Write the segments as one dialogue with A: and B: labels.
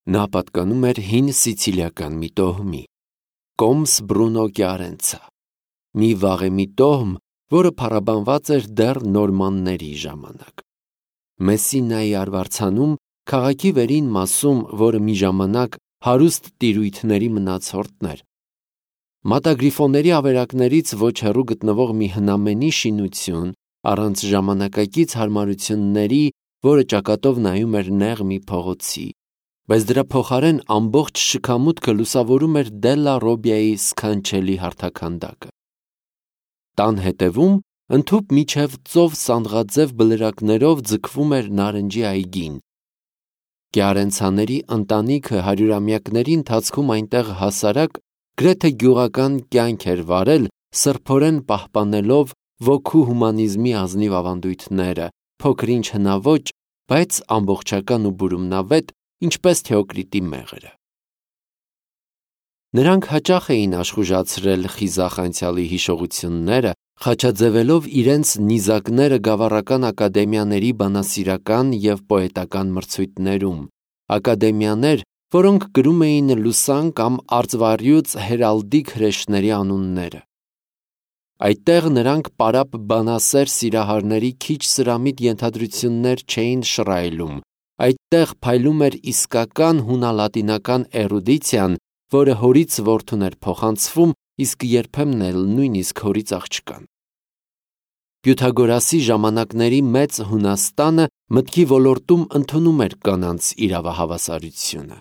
A: Նա պատկանում էր հին սիցիլիական մի տոհմի, Կոմս Բրունո Կիարենցա, մի վաղեմի տոհմ, որը փառաբանված էր դեռ նորմանների ժամանակ։ Մեսինայի արվարձանում, քաղաքի վերին մասում, որը մի ժամանակ հարուստ տիրույթների մնացորդն էր, մատագրիֆոների ավերակներից ոչ հեռու գտնվող մի հնամենի շինություն, առանց ժամանակակից հարմարությունների, որը ճակատով նայում էր նեղ մի փողոցի, բայց դրա փոխարեն ամբողջ շքամուտքը լուսավորում էր Դելլա Ռոբիայի սքանչելի հարթաքանդակը։ Տան հետևում, ընդհուպ միջև ծով սանդղաձև բլրակներով ձգվում էր նարնջի այգին։ Կիարենցաների ընտանիքը հարյուրամյակների ընթացքում այնտեղ հասարակ, գրեթե գյուղական կյանք էր վարել, սրբորեն պահպանելով ոգու հումանիզմի ազնիվ ավանդույթները, փոքր-ինչ հնաոճ, բայց ամբողջական ու բուրումնավետ, ինչպես Թեոկրիտի մեղրը։ Նրանք հաճախ էին աշխուժացրել խիզախ անցյալի հիշողությունները, խաչաձևելով իրենց նիզակները գավառական ակադեմիաների բանասիրական և պոետական մրցույթներում, ակադեմիաներ, որոնք կրում էին լուսան կամ արծվառյուծ հերալդիկ հրեշների անունները։ Այդտեղ նրանք պարապ բանասեր սիրահարների քիչ սրամիտ ենթադրություններ չէին շռայլում, այդտեղ փայլում էր իսկական հունալատինական էրուդիցիան, որը հորից որդուն էր փոխանցվում, իսկ երբեմն էլ նույնիսկ հորից աղջկան։ Պյութագորասի ժամանակների մեծ Հունաստանը մտքի ոլորտում ընդունում էր կանանց իրավահավասարությունը։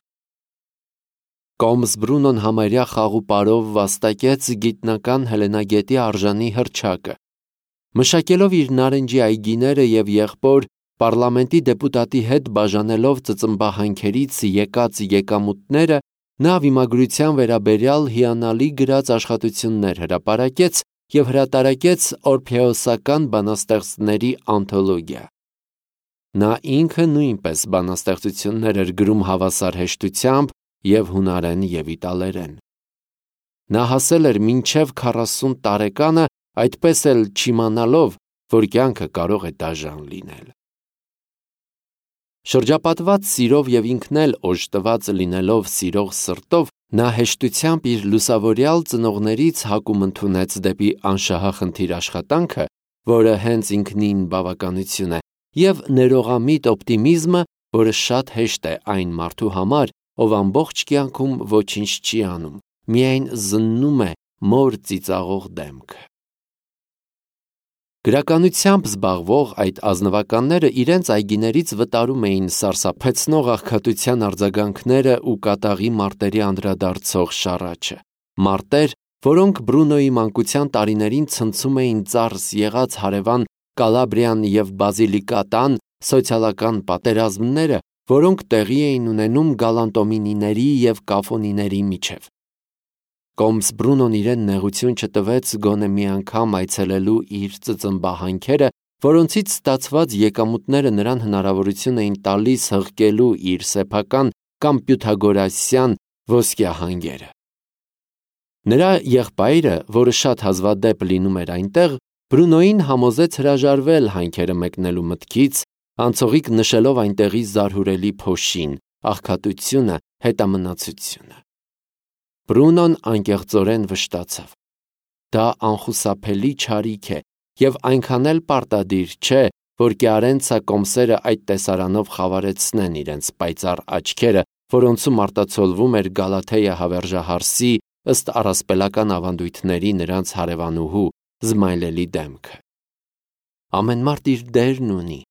A: Կոմս Բրունոն համարյա խաղուպարով վաստակեց գիտնական Հելենագետի արժանի հռչակը։ Մշակելով իր նարնջի այգիները և եղբոր պառլամենտի դեպուտատի հետ բաժանելով ծծմբահանքերից եկած եկամուտները, նա վիմագրության վերաբերյալ հիանալի գրած աշխատություններ հրապարակեց և հրատարակեց օրփեոսական բանաստեղծների անթոլոգիա։ Նա ինքը նույնպես բանաստեղծություններ էր գրում հավասար հեշտությամբ և հունարեն և իտալերեն։ Նա հասել էր մինչև 40 տարեկանը, այդպես էլ չիմանալով, որ կյանքը կարող է դաժան լինել։ Շրջապատված սիրով և ինքն էլ օժտված լինելով սիրող սրտով, նա հեշտությամբ իր լուսավորյալ ծնողներից հակում ընդունեց դեպի անշահախնդիր աշխատանքը, որը հենց ինքնին բավականություն է, և ներողամիտ օպտիմիզմը, որը շատ հեշտ է այն մարդու համար, ով ամբողջ կյանքում ոչինչ չի անում, միայն զննում է մոր ծիծաղող դեմքը։ Գրականությամբ զբաղվող այդ ազնվականները իրենց այգիներից վտարում էին սարսափեցնող աղքատության արձագանքները ու կատաղի մարտերի անդրադարձող շառաչը, մարտեր, որոնք Բրունոյի մանկության տարիներին ցնցում էին ծարս եղած հարևան Կալաբրիան և Բազիլիկատան սոցիալական պատերազմները, որոնք տեղի էին ունենում գալանտոմինիների և կաֆոնիների միջև։ Կոմս Բրունոն իրեն նեղություն չտվեց գոնե մի անգամ այցելելու իր ծծմբահանքերը, որոնցից ստացված եկամուտները նրան հնարավորություն էին տալիս հղկելու իր սեփական կամ պյութագորասյան ոսկյա հանգերը։ Նրա եղբայրը, որը շատ հազվադեպ լինում էր այնտեղ, Բրունոյին համոզեց հրաժարվել հանքերը մեկնելու մտքից, անցողիկ նշելով այնտեղի զարհուրելի փոշին, աղքատությունը, հետամնացությունը։ Բրունոն անկեղծորեն վշտացավ։ Դա անխուսափելի չարիք է և այնքան էլ պարտադիր չէ, որ Կիարենցա կոմսերը այդ տեսարանով խավարեցնեն իրենց պայծառ աչքերը, որոնցում արտացոլվում էր Գալաթեա հավերժահարսի ըստ առասպելական ավանդույթների նրանց հարևանուհու զմայլելի դեմքը։ Ամեն մարդ իր դերն ունի։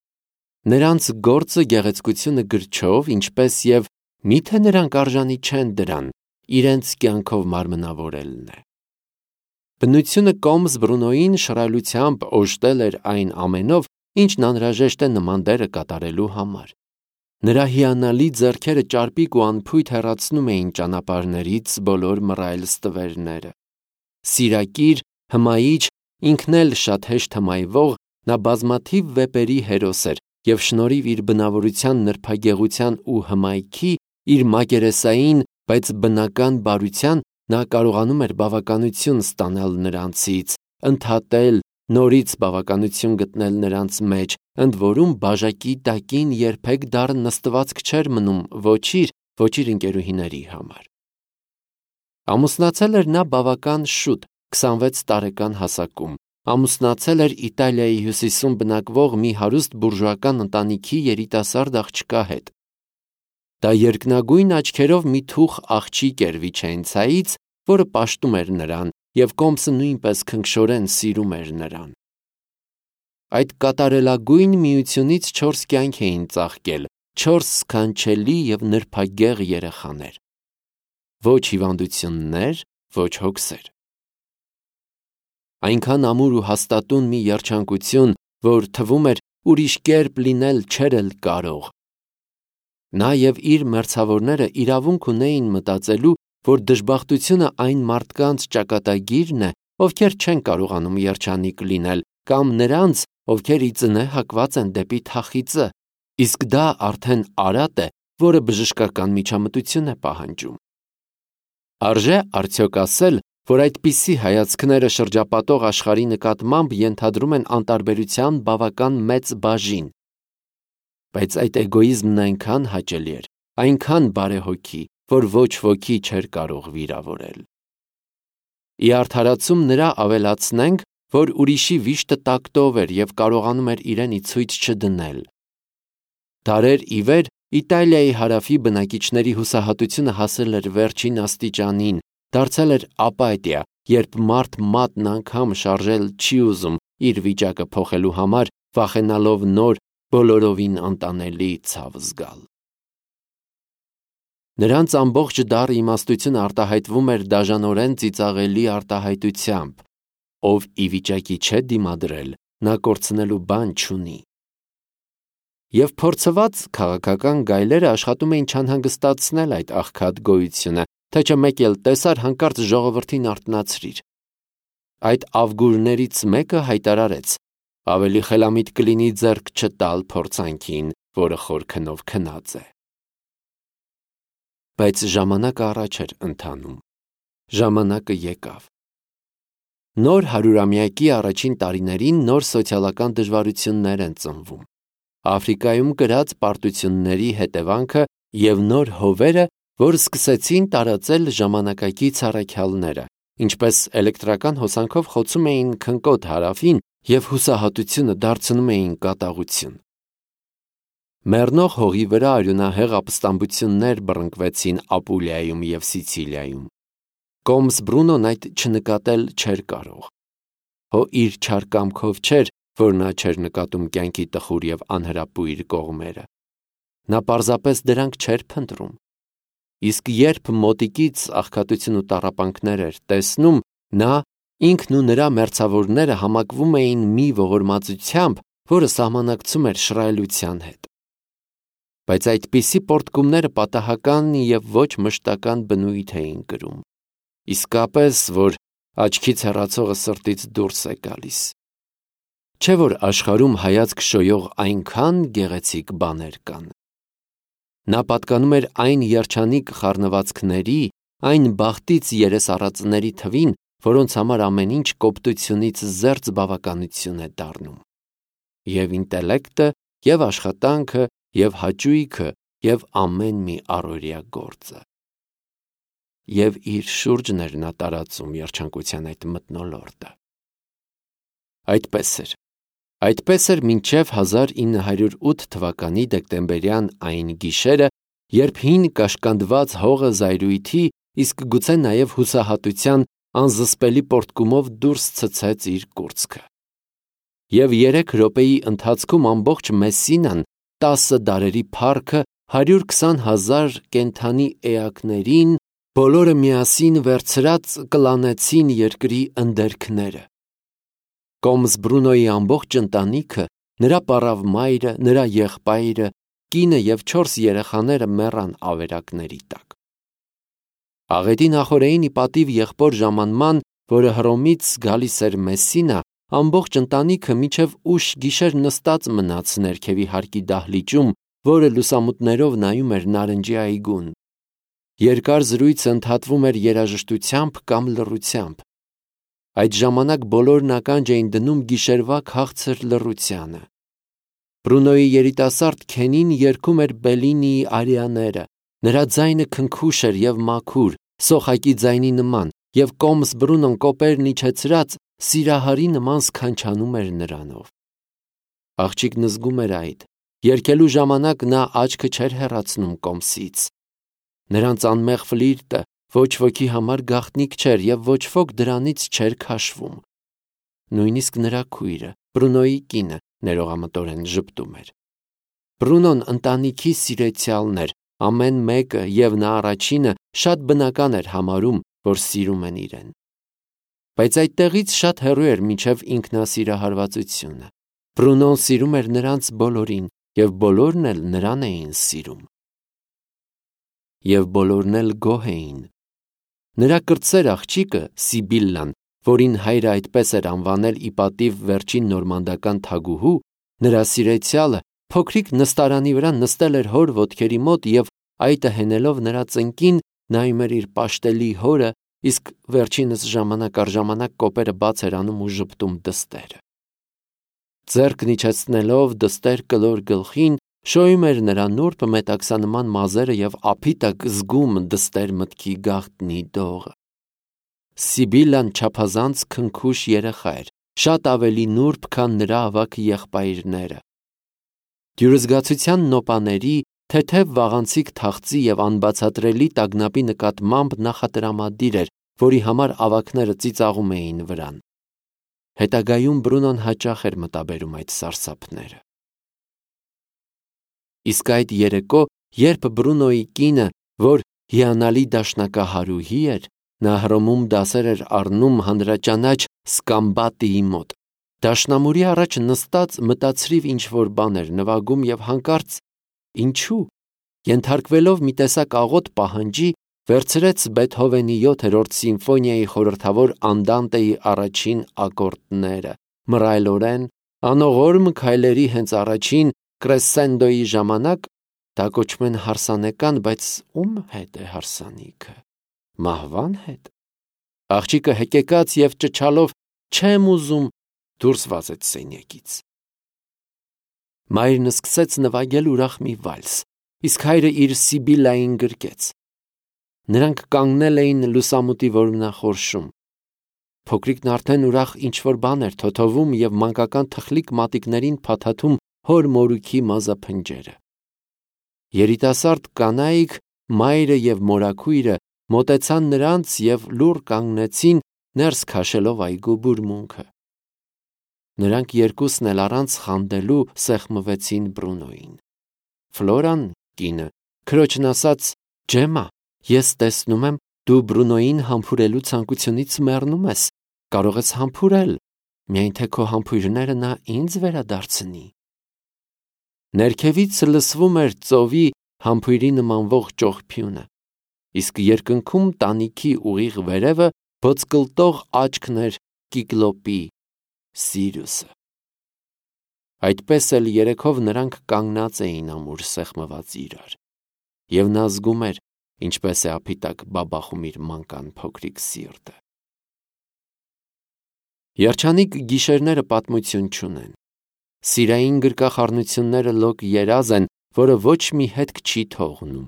A: Նրանց գործը գեղեցկությունը գրչով, ինչպես և միթե նրանք արժանի չեն դրան, իրենց կյանքով մարմնավորելն է։ Բնությունը Կոմս Բրունոյին շռայլությամբ օժտել էր այն ամենով, ինչն անհրաժեշտ է նման դերը կատարելու համար։ Նրա հիանալի ձեռքերը ճարպիկ ու անփույթ հեռացնում էին ճանապարհներից բոլոր մռայլ ստվերները։ Սիրակիր, հմայիչ, ինքն էլ շատ հեշտ հմայվող, նա բազմաթիվ վեպերի հերոս էր և շնորհիվ իր բնավորության նրբագեղության ու հմայքի, իր մակերեսային, բայց բնական բարության, նա կարողանում էր բավականություն ստանալ նրանցից, ընդհատել, նորից բավականություն գտնել նրանց մեջ, ընդ որում բաժակի տակին երբեք դառն նստվածք չէր մնում ոչ իր, ոչ իր ընկերուհիների համար։ Ամուսնացել էր նա բավական շուտ, 26 տարեկան հասակում, ամուսնացել էր Իտալիայի հյուսիսում բնակվող մի հարուստ բուրժուական ընտանիքի երիտասարդ աղջկա հետ։ Դա երկնագույն աչքերով մի թուխ աղջիկ էր Վիչենցայից, որը պաշտում էր նրան, և Կոմսը նույնպես քնքշորեն սիրում էր նրան։ Այդ կատարելագույն միությունից 4 կյանք էին ծաղկել, 4 սքանչելի և նրբագեղ երեխաներ։ Ոչ հիվանդություններ, ոչ հոգսեր։ Այնքան ամուր ու հաստատուն մի երջանկություն, որ թվում էր ուրիշ կերպ լինել չէր էլ կարող։ Նա և իր մերձավորները իրավունք ունեին մտածելու, որ դժբախտությունը այն մարդկանց ճակատագիրն է, ովքեր չեն կարողանում երջանիկ լինել, կամ նրանց, ովքեր ի ծնե հակված են դեպի թախիծը, իսկ դա արդեն արատ է, որը բժշկական միջամտություն է պահանջում։ Արժե արդյոք ասել, որ այդպիսի հայացքները շրջապատող աշխարհի նկատմամբ ենթադրում են անտարբերության բավական մեծ բաժին։ Բայց այդ էգոիզմն այնքան հաճելի էր, այնքան բարեհոգի, որ ոչ ոքի չէր կարող վիրավորել։ Ի արդարացում նրա ավելացնենք, որ ուրիշի վիշտը տակտով էր և կարողանում էր իրեն ի ցույց չդնել։ Դարեր ի վեր Իտալիայի հարավի բնակիչների հուսահատությունը հասել էր վերջին աստիճանին, դարձել էր ապաթիա, երբ մարդ մատն անգամ շարժել չի ուզում իր վիճակը փոխելու համար, վախենալով նոր բոլորովին անտանելի ցավ զգալ։ Նրանց ամբողջ դառը իմաստությունը արտահայտվում էր դաժանորեն ծիծաղելի արտահայտությամբ, ով ի վիճակի չէ դիմադրել, նա կորցնելու բան չունի։ Եվ փորձված քաղաքական գայլերը աշխատում էին չանհանգստացնել այդ աղքատ գոյությունը, թե չէ մեկ էլ տեսար հանկարծ ժողովրդին արթնացրիր։ Այդ ավգուրներից մեկը հայտարարեց. ավելի խելամիտ կլինի ձեռք չտալ փորձանքին, որը խոր քնով քնած է։ Բայց ժամանակը առաջ էր ընթանում։ Ժամանակը եկավ։ Նոր հարյուրամյակի առաջին տարիներին նոր սոցիալական դժվարություններ են ծնվում։ Աֆրիկայում կրած պարտությունների հետևանքը և նոր հովերը, որ սկսեցին տարածել ժամանակակից առաքյալները, ինչպես էլեկտրական հոսանքով խոցում էին քնկոտ հարավին և հուսահատությունը դարձնում էին կատաղություն։ Մեռնող հողի վրա արյունահեղ ապստամբություններ բռնկվեցին Ապուլիայում և Սիցիլիայում։ Կոմս Բրունոն այդ չնկատել չէր կարող։ Հո իր չար կամքով չէր, որ նա չէր նկատում կյանքի տխուր և անհրապույր կողմերը։ Նա պարզապես դրանք չէր փնտրում։ Իսկ երբ մոտիկից աղքատություն ու տառապանքներ էր տեսնում, նա, ինքն ու նրա մերձավորները համակվում էին մի ողորմածությամբ, որը սահմանակցում էր շռայլության հետ։ Բայց այդպիսի պոռթկումները պատահական և ոչ մշտական բնույթ էին կրում, իսկապես, որ աչքից հեռացողը սրտից դուրս է գալիս։ Չէ՞ որ աշխարհում հայացք շոյող այնքան գեղեցիկ բաներ կան։ Նա պատկանում էր այն երջանիկ խառնվածքների, այն բախտից երես առածների թվին, որոնց համար ամեն ինչ կոպտությունից զերծ բավականություն է դառնում։ Եվ ինտելեկտը, և աշխատանքը, և հաճույքը, և ամեն մի առօրյա գործը։ Եվ իր շուրջն էր նա տարածում երջանկության այդ մթնոլորտը։ Այդպես էր մինչև 1908 թվականի դեկտեմբերյան այն գիշերը, երբ հին կաշկանդված հողը զայրույթի, իսկ գուցե նաև հուսահատության անզսպելի պոռթկումով դուրս ցցեց իր կուրծքը։ Եվ 3 րոպեի ընթացքում ամբողջ Մեսսինան, 10 դարերի փառքը, 120,000 կենդանի էակներին, բոլորը միասին վերցրած կլանեցին երկրի ընդերքները։ Կոմս Բրունոյի ամբողջ ընտանիքը, նրա պառավ մայրը, նրա եղբայրը, կինը և 4 երեխաները մեռան ավերակների տակ։ Աղետի նախօրեին ի պատիվ եղբոր ժամանման, որը Հռոմից գալիս էր Մեսսինա, ամբողջ ընտանիքը մինչև ուշ գիշեր նստած մնաց ներքևի հարկի դահլիճում, որը լուսամուտներով նայում էր նարնջի այգուն։ Երկար զրույցը ընդհատվում էր երաժշտությամբ կամ լռությամբ։ Այդ ժամանակ բոլորն ականջ էին դնում գիշերվա քաղցր լռությանը։ Բրունոյի երիտասարդ քենին երգում էր Բելինիի արիաները, Նրա ձայնը քնքուշ էր և մաքուր, սոխակի ձայնի նման, և կոմս Բրունոն կոպերն իջեցրած սիրահարի նման սքանչանում էր նրանով։ Աղջիկն զգում էր այդ, երգելու ժամանակ նա աչքը չէր հեռացնում կոմսից։ Նրանց անմեղ ֆլիրտը ոչ ոքի համար գաղտնիք չէր և ոչ ոք դրանից չէր քաշվում։ Նույնիսկ նրա քույրը, Բրունոյի կինը, ներողամտորեն ժպտում էր։ Բրունոն ընտանիքի սիրեցյալն էր, ամեն մեկը և նա առաջինը շատ բնական էր համարում, որ սիրում են իրեն։ Բայց այդտեղից շատ հեռու էր մինչև ինքնասիրահարվածությունը։ Բրունոն սիրում էր նրանց բոլորին, և բոլորն էլ նրան էին սիրում։ Եվ բոլորն էլ գոհ էին։ Նրա կրտսեր աղջիկը Սիբիլլան, որին հայրը այդպես էր անվանել ի պատիվ վերջին նորմանդական թագուհու, նրա սիրեցյալը, փոքրիկ նստարանի վրա նստել էր հոր ոտքերի մոտ և այտը հենելով նրա ծնկին նայում էր իր պաշտելի հորը, իսկ վերջինս ժամանակ առ ժամանակ կոպերը բաց էր անում ու ժպտում դստերը։ Ձեռքն իջեցնելով դստեր կլոր գլխին, շոյում էր նրա նուրբ մետաքսանման մազերը և ափիտակ զգում դստեր մտքի գաղտնի դողը։ Սիբիլլան չափազանց քնքուշ երեխա էր, շատ ավելի նուրբ, քան նրա ավագ եղբայրները։ Դյուրզգացության նոպաների, թեթև վաղանցիկ թախծի և անբացատրելի տագնապի նկատմամբ նախատրամադիր էր, որի համար ավագները ծիծաղում էին վրան։ Հետագայում Բրունոն հաճախ էր մտաբերում այդ սարսափները։ Իսկ այդ երեկո, երբ Բրունոյի կինը, որ հիանալի դաշնակահարուհի էր, նա Հռոմում դասեր էր առնում հանրաճանաչ Սկամբատիի մոտ, դաշնամուրի առաջ նստած մտածրիվ ինչ-որ բան էր նվագում և հանկարծ, ինչու, ենթարկվելով մի տեսակ աղոտ պահանջի, վերցրեց Բեթհովենի 7-րդ սիմֆոնիայի խորհրդավոր Անդանտեի առաջին ակորդները, մռայլորեն, անողորմ քայլերի հենց առաջին կրեսենդոյի ժամանակ, դա կոչում են հարսանեկան, բայց ում հետ է հարսանիքը, մահվան հետ։ Աղջիկը հեկեկաց և ճչալով չեմ ուզում դուրս վազեց սենյակից։ Մայրն սկսեց նվագել ուրախ մի վալս, իսկ հայրը իր Սիբիլլային գրկեց։ Նրանք կանգնել էին լուսամուտի որմնախորշում։ Փոքրիկն արդեն ուրախ ինչ-որ բան էր թոթովում և մանկական թխլիկ մատիկներին փաթաթում հոր մորուքի մազափնջերը։ Երիտասարդ կանայք, մայրը և մորաքույրը մոտեցան նրանց և լուռ կանգնեցին, ներս քաշելով այգու բուրմունքը։ Նրանք երկուսն էլ առանց խանդելու սեղմվեցին Բրունոյին։ Ֆլորան, կինը, քրոջն ասաց. «Ջեմմա, ես տեսնում եմ, դու Բրունոյին համբուրելու ցանկությունից մեռնում ես, կարող ես համբուրել, միայն թե քո համբույրները նա ինձ վերադարձնի»։ Ներքևից լսվում էր ծովի համբույրի նմանվող ճողփյունը, իսկ երկնքում տանիքի ուղիղ վերևը ոսկլտող աչքն էր Կիկլոպի, Սիրիուսը։ Այդպես էլ երեքով նրանք կանգնած էին ամուր սեղմված իրար, և նա զգում էր, ինչպես է ափիտակ բաբախում իր մանկան փոքրիկ սիրտը։ Երջանիկ գիշերները պատմություն չունեն։ Սիրային գրկախառնությունները լոկ երազ են, որը ոչ մի հետք չի թողնում։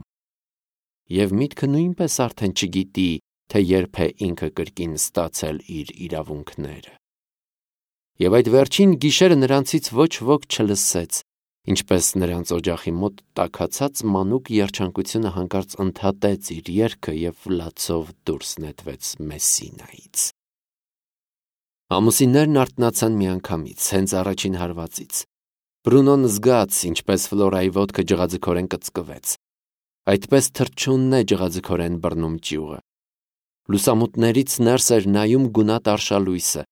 A: Եվ միտքը նույնպես արդեն չգիտի, թե երբ է ինքը կրկին ստացել իր իրավունքները։ Եվ այդ վերջին գիշերը նրանցից ոչ ոք չլսեց, ինչպես նրանց օջախի մոտ տաքացած մանուկ երջանկությունը հանկարծ ընդհատեց իր երգը և լացով դուրս նետվեց Մեսսինայից։ Ամուսիններն արթնացան միանգամից, հենց առաջին հարվածից։ Բրունոն զգաց, ինչպես Ֆլորայի ոտքը ջղաձգորեն կծկվեց։ Այդպես թռչունն է ջղաձգորեն բռնում ճյուղը։ Լուսամուտներից ներս էր նայում գունատ արշալույսը։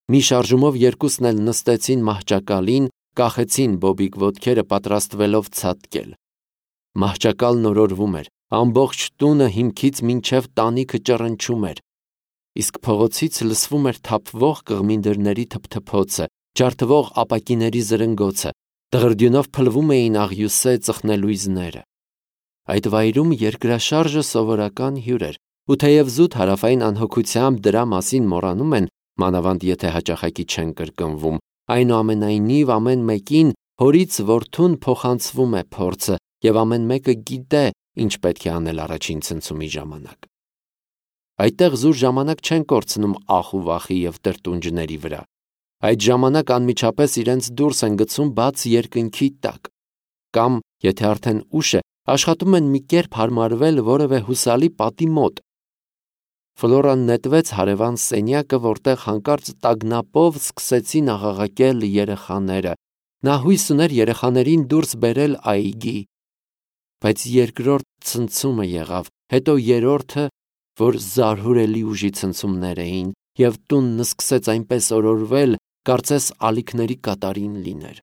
A: Մի շարժումով երկուսն էլ նստեցին մահճակալին, կախեցին բոբիկ ոտքերը պատրաստվելով ցատկել։ Մահճակալն օրորվում էր, ամբողջ տունը հիմքից մինչև տանիքը ճռնչում էր, իսկ փողոցից լսվում էր թափվող կղմին դռների թփթփոցը, ջարդվող ապակիների զրնգոցը, դղրդյունով փլվում էին աղյուսե ծխնելույզները։ Այդ վայրում երկրաշարժը սովորական հյուր էր, ու թեև զուտ հարավային անհոգությամբ դրա մասին մոռանում են, մանավանդ եթե հաճախակի չեն կրկնվում, այնուամենայնիվ ամեն մեկին հորից որդուն փոխանցվում է փորձը, և ամեն մեկը գիտե, ինչ պետք է անել առաջին ցնցումի ժամանակ։ Այդտեղ զուր ժամանակ չեն կորցնում ախ ու վախի և տրտունջների վրա։ Այդ ժամանակ անմիջապես իրենց դուրս են գցում բաց երկնքի տակ, կամ, եթե արդեն ուշ է, աշխատում են մի կերպ հարմարվել որևէ հուսալի պատի մոտ։ Ֆլորան նետվեց հարևան սենյակը, որտեղ հանկարծ տագնապով սկսեցին աղաղակել երեխաները։ Նա հույս ուներ երեխաներին դուրս բերել այգի։ Բայց երկրորդ ցնցումը եղավ, հետո երրորդը, որ զարհուրելի ուժի ցնցումներ էին, և տունն սկսեց այնպես օրորվել, կարծես ալիքների կատարին լիներ։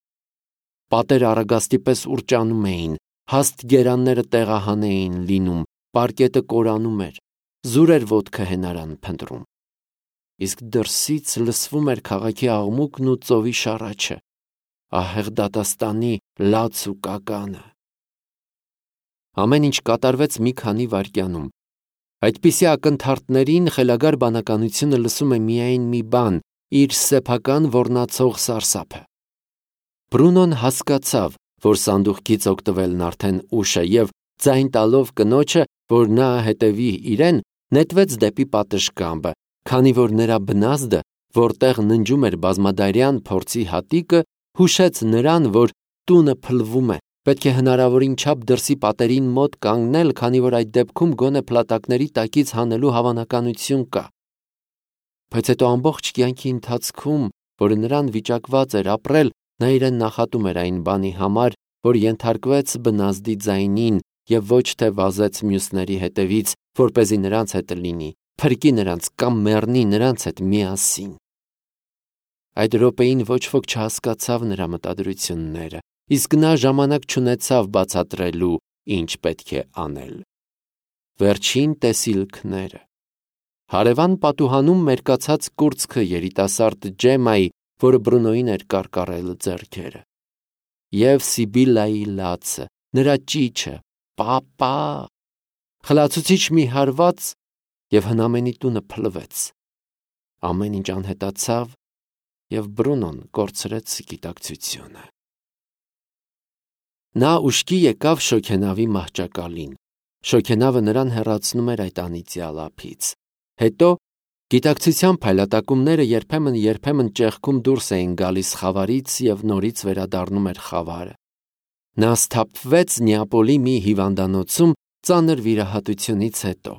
A: Պատերը առագաստի պես ուռճանում էին, հաստ գերանները տեղահան էին լինում, պարկետը կորանում էր, զուր էր ոտքը հենարան փնտրում։ Իսկ դրսից լսվում էր քաղաքի աղմուկն ու ծովի շառաչը, ահեղ դատաստանի լաց ու կականը։ Ամեն ինչ կատարվեց մի քանի վայրկյանում։ Այդպիսի ակնթարթներին խելագար բանականությունը լսում է միայն մի բան՝ իր սեփական ոռնացող սարսափը։ Բրունոն հասկացավ, որ սանդուղքից օգտվելն արդեն ուշ է, և ձայն տալով կնոջը, որ նա հետևի իրեն, նետվեց դեպի պատշգամբը, քանի որ նրա բնազդը, որտեղ ննջում էր բազմադարյան փորձի հատիկը, հուշեց նրան, որ տունը փլվում է, պետք է հնարավորին չափ դրսի պատերին մոտ կանգնել, քանի որ այդ դեպքում գոնե փլատակների տակից հանելու հավանականություն կա։ Բայց հետո ամբողջ կյանքի ընթացքում, որը նրան վիճակված էր ապրել, նա իրեն նախատում էր այն բանի համար, որ ենթարկվեց բնազդի ձայնին և ոչ թե վազեց մյուսների հետևից, որպեսզի նրանց հետ լինի, փրկի նրանց կամ մեռնի նրանց հետ միասին։ Այդ րոպեին ոչ ոք չհասկացավ նրա մտադրությունները, իսկ նա ժամանակ չունեցավ բացատրելու, ինչ պետք է անել։ Վերջին տեսիլքները։ Հարևան պատուհանում մերկացած կուրծքը երիտասարդ Ջեմայի, որը Բրունոյին էր կարկառել ձեռքերը, և Սիբիլայի լացը, նրա ճիչը՝ «Պապա», խլացուցիչ մի հարված, և հնամենի տունը փլվեց։ Ամեն ինչ անհետացավ, և Բրունոն կորցրեց գիտակցությունը։ Նա ուշքի եկավ շոգենավի մահճակալին։ Շոգենավը նրան հեռացնում էր այդ անիծյալ ափից։ Հետո գիտակցության փայլատակումները երբեմն ճեղքում դուրս էին գալիս խավարից և նորից վերադառնում էր խավարը։ Նա սթափվեց Նեապոլի մի հիվանդանոցում ծանր վիրահատությունից հետո։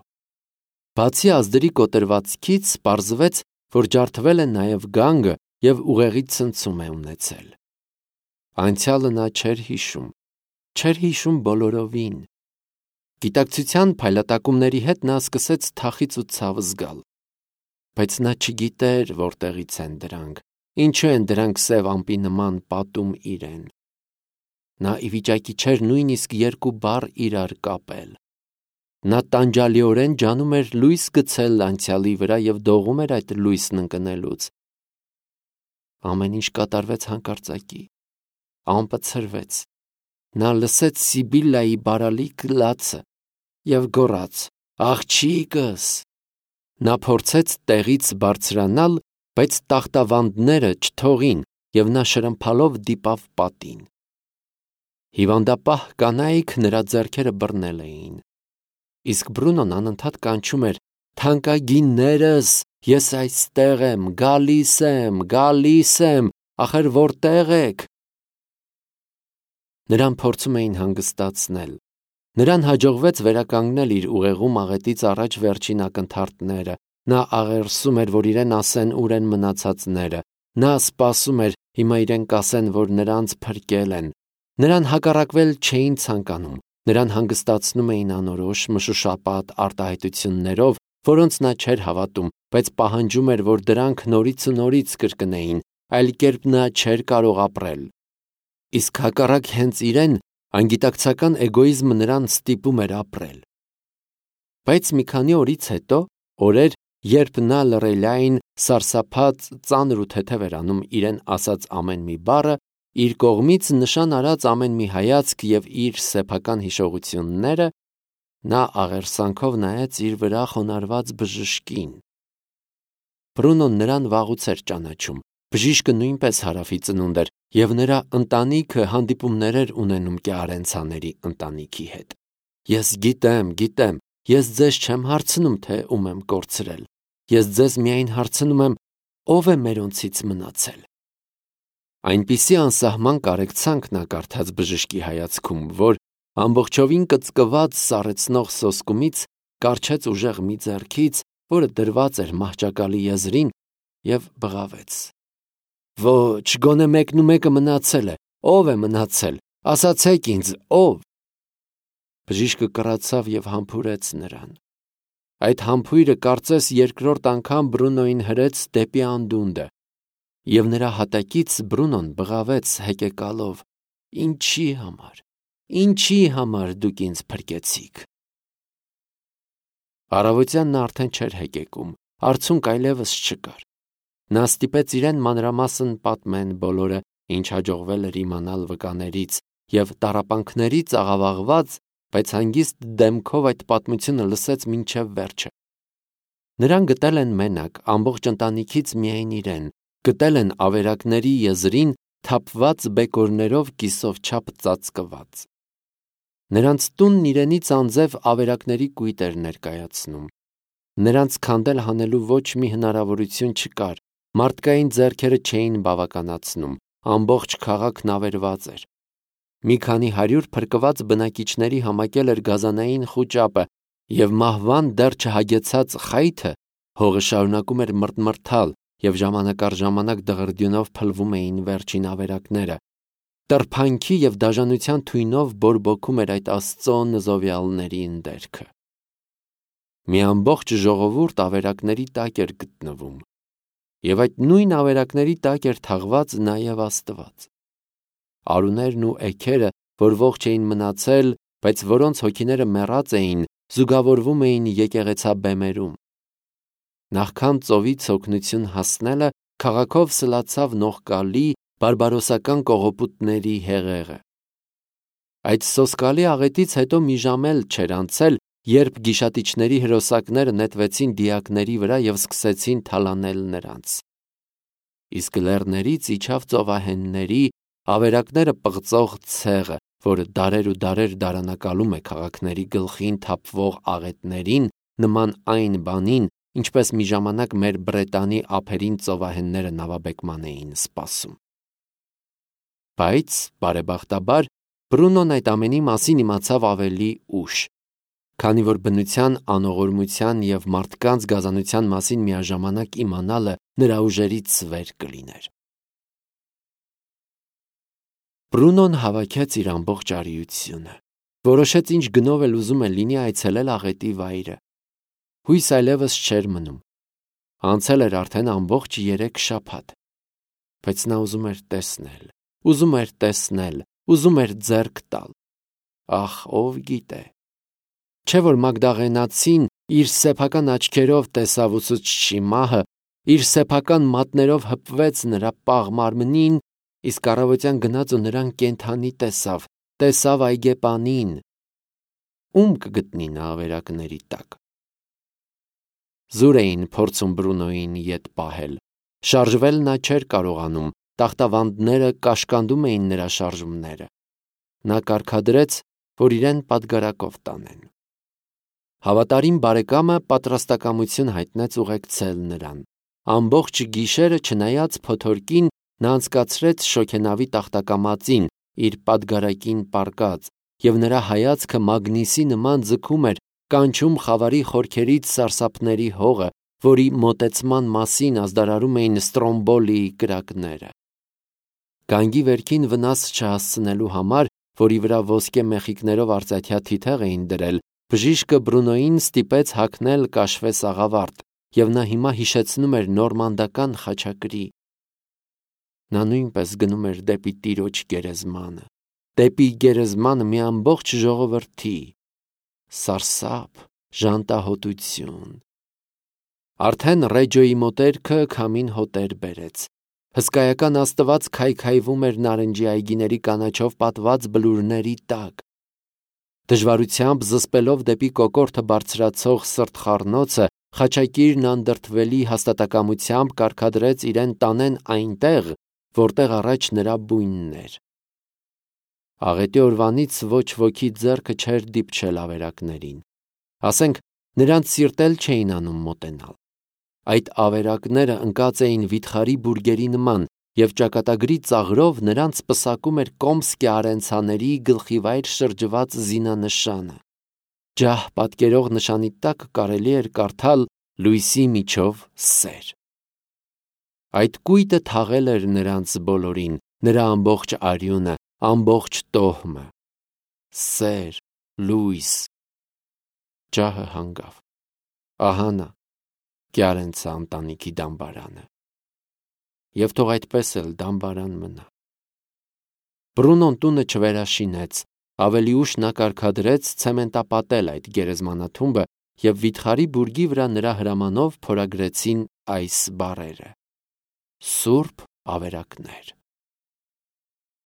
A: Բացի ազդրի կոտրվածքից, պարզվեց, որ ջարդվել է նաև գանգը և ուղեղի ցնցում է ունեցել։ Անցյալը նա չէր հիշում բոլորովին։ Գիտակցության փայլատակումների հետ նա սկսեց թախիծ ու ցավ զգալ։ Բայց նա չգիտեր, որտեղից են դրանք, ինչու են դրանք սև ամպի նման պատում իրեն։ Նա ի վիճակի չէր նույնիսկ երկու բառ իրար կապել։ Նա տանջալիորեն ջանում էր լույս գցել անցյալի վրա և դողում էր այդ լույսն ընկնելուց։ Ամեն ինչ կատարվեց հանկարծակի։ Ամպը ցրվեց։ Նա լսեց Սիբիլայի բարալիկ լացը և գոռաց. «Աղջիկս»։ Նա փորձեց տեղից բարձրանալ, բայց տախտավանդները չթողին, և նա շրմփալով դիպավ պատին։ Հիվանդապահ կանայք նրա ձեռքերը բռնել էին։ Իսկ Բրունոն անընդհատ կանչում էր. «Թանկագիններս, ես այստեղ եմ, գալիս եմ, ախր որտե՞ղ եք»։ Նրան փորձում էին հանգստացնել։ Նրան հաջողվեց վերականգնել իր ուղեղում աղետից առաջ վերջին ակնթարթները։ Նա աղերսում էր, որ իրեն ասեն ուր են մնացածները։ Նա սպասում էր, հիմա իրեն կասեն, որ նրանց փրկել են։ Նրան հակառակվել չէին ցանկանում։ Նրան հանգստացնում էին անորոշ, մշուշապատ արտահայտություններով, որոնց նա չէր հավատում, բայց պահանջում էր, որ դրանք նորից ու նորից կրկնեին, այլ կերպ նա չէր կարող ապրել։ Իսկ հակառակ հենց իրեն, անգիտակցական էգոիզմը նրան ստիպում էր ապրել։ Բայց մի քանի օրից հետո, օրեր, երբ նա լռելային, սարսափած, ծանր ու թեթև էր անում իրեն ասած ամեն մի բառը, իր կողմից նշան արած ամեն մի հայացք և իր սեփական հիշողությունները, նա աղերսանքով նայեց իր վրա խոնարհված բժշկին։ Բրունոն նրան վաղուց էր ճանաչում։ Բժիշկը նույնպես Հարավի ծնունդ էր, և նրա ընտանիքը հանդիպումներ էր ունենում Կեարենցաների ընտանիքի հետ։ Ես գիտեմ, ես ձեզ չեմ հարցնում, թե ում եմ կորցրել, ես ձեզ միայն հարցնում եմ, ով է մերոնցից մնացել։ Այնպիսի անսահման կարեկցանք նա կարդաց բժշկի հայացքում, որ ամբողջովին կծկված սառեցնող սոսկումից կառչեց ուժեղ մի ձեռքից, որը դրված էր մահճակալի եզրին, և բղավեց. Ոչ, գոնե մեկնումեկը մնացել է, ով է մնացել, ասացեք ինձ, ով։ Բժիշկը կռացավ և համբուրեց նրան։ Այդ համբույրը կարծես երկրորդ անգամ Բրունոյին հրեց դեպի անդունդը, և նրա հատակից Բրունոն բղավեց հեկեկալով. Ինչի համար դուք ինձ փրկեցիք։ Առավոտյան նա արդեն չէր հեկեկում, արցունք այլևս չկար։ Նա ստիպեց իրեն մանրամասն պատմեն բոլորը, ինչ հաջողվել էր իմանալ վկաներից, և տառապանքներից աղավաղված, բայց հանգիստ դեմքով այդ պատմությունը լսեց մինչև վերջը։ Նրան գտել են մենակ, ամբողջ ընտանիքից միայն իրեն, գտել են ավերակների եզրին թափված բեկորներով կիսով չափ ծածկված։ Նրանց տունն իրենից անձև ավերակների կույտ էր ներկայացնում։ Նրանց քանդել հանելու ոչ մի հնարավորություն չկար, մարդկային ձեռքերը չէին բավականացնում, ամբողջ քաղաքն ավերված էր։ Մի քանի 100 փրկված բնակիչների համակել էր գազանային խուճապը, և մահվան դեռ չհագեցած խայթը հողը շարունակում էր մրթմրթալ, և ժամանակ առ ժամանակ դղրդյունով փլվում էին վերջին ավերակները։ Տրփանքի և դաժանության թույնով բորբոքում էր այդ Աստծո նզովյալների ընդերքը։ Մի ամբողջ ժողովուրդ ավերակների տակ էր գտնվում, և այդ նույն ավերակների տակ էր թաղված նաև Աստված։ Արուներն ու էգերը, որ ողջ էին մնացել, բայց որոնց հոգիները մեռած էին, զուգավորվում էին եկեղեցաբեմերում։ Նախքան ծովից օգնություն հասնելը քաղաքով սլացավ նողկալի բարբարոսական կողոպուտների հեղեղը։ Այդ սոսկալի աղետից հետո մի ժամ էլ չէր անցել, երբ գիշատիչների հրոսակները նետվեցին դիակների վրա և սկսեցին թալանել նրանց։ Իսկ լեռներից իջավ ծովահենների, ավերակները պղծող ցեղը, որը դարեր ու դարեր դարանակալում է քաղաքների գլխին թափվող աղետներին, նման այն բանին, ինչպես մի ժամանակ մեր Բրետանի ափերին ծովահենները նավաբեկման էին սպասում։ Բայց, բարեբախտաբար, Բրունոն այդ ամենի մասին իմացավ ավելի ուշ, քանի որ բնության անողորմության և մարդկանց գազանության մասին միաժամանակ իմանալը նրա ուժերից վեր կլիներ։ Բրունոն հավաքեց իր ամբողջ արիությունը, որոշեց ինչ գնով էլ ուզում է լինի այցելել աղետի վայրը։ Հույս այլևս չէր մնում։ Անցել էր արդեն ամբողջ 3 շաբաթ, բայց նա ուզում էր ձեռք տալ։ Ախ, ով գիտե։ Չէ՞ որ Մագդաղենացին իր սեփական աչքերով տեսավ ուսուցչի մահը, իր սեփական մատներով հպվեց նրա պաղ մարմնին, իսկ առավոտյան գնաց ու նրան կենդանի տեսավ այգեպանին։ Ում կգտնի նա ավերակների տակ։ Զուր էին փորձում Բրունոյին ետ պահել։ Շարժվել նա չէր կարողանում, տախտավանդները կաշկանդում էին նրա շարժումները։ Նա կարգադրեց, որ իրեն պատգարակով տանեն։ Հավատարիմ բարեկամը պատրաստակամություն հայտնեց ուղեկցել նրան։ Ամբողջ գիշերը, չնայած փոթորկին, նա անցկացրեց շոգենավի տախտակամածին, իր պատգարակին պառկած, և նրա հայացքը մագնիսի նման ձգում էր, կանչում խավարի խորքերից սարսափների հողը, որի մոտեցման մասին ազդարարում էին Ստրոմբոլիի կրակները։ Գանգի վերքին վնաս չհասցնելու համար, որի վրա ոսկե մեխիկներով արծաթյա թիթեղ էին դրել, բժիշկը Բրունոյին ստիպեց հագնել կաշվե սաղավարտ, և նա հիմա հիշեցնում էր նորմանդական խաչակրի։ Նա նույնպես գնում էր դեպի Տիրոջ գերեզմանը, դեպի գերեզմանը մի ամբողջ ժողովրդի։ Սարսափ, ժանտահոտություն։ Արդեն Ռեջոյի մոտերքը քամին հոտեր բերեց։ Հսկայական Աստված քայքայվում էր նարնջի այգիների կանաչով պատված բլուրների տակ։ Դժվարությամբ զսպելով դեպի կոկորդը բարձրացող սրտխառնոցը, խաչակիրն անդրդվելի հաստատակամությամբ կարգադրեց իրեն տանեն այնտեղ, որտեղ առաջ նրա բույնն էր։ Աղետի օրվանից ոչ ոքի ձեռքը չէր դիպչել ավերակներին, ասենք նրանց սիրտել չէին անում մոտենալ։ Այդ ավերակները ընկած էին վիթխարի բուրգերի նման, և ճակատագրի ծաղրով նրանց պսակում էր Կոմսկի արենցաների գլխիվայր շրջված զինանշանը։ Ջահ պատկերող նշանի տակ կարելի էր կարդալ լույսի միջով սեր։ Այդ կույտը թաղել էր նրանց բոլորին, նրա ամբողջ արյունը, ամբողջ տոհմը։ Սեր, լույս։ Ջահը հանգավ։ Ահա նա, Կյարենցը ընտանիքի դամբարանը։ Եվ թող այդպես էլ դամբարան մնա։ Բրունոն տունը չվերաշինեց, ավելի ուշ նա կարգադրեց ցեմենտապատել այդ գերեզմանաթումբը և վիթխարի բուրգի վրա նրա հրամանով փորագրեցին այս բառերը. Սուրբ ավերակներ։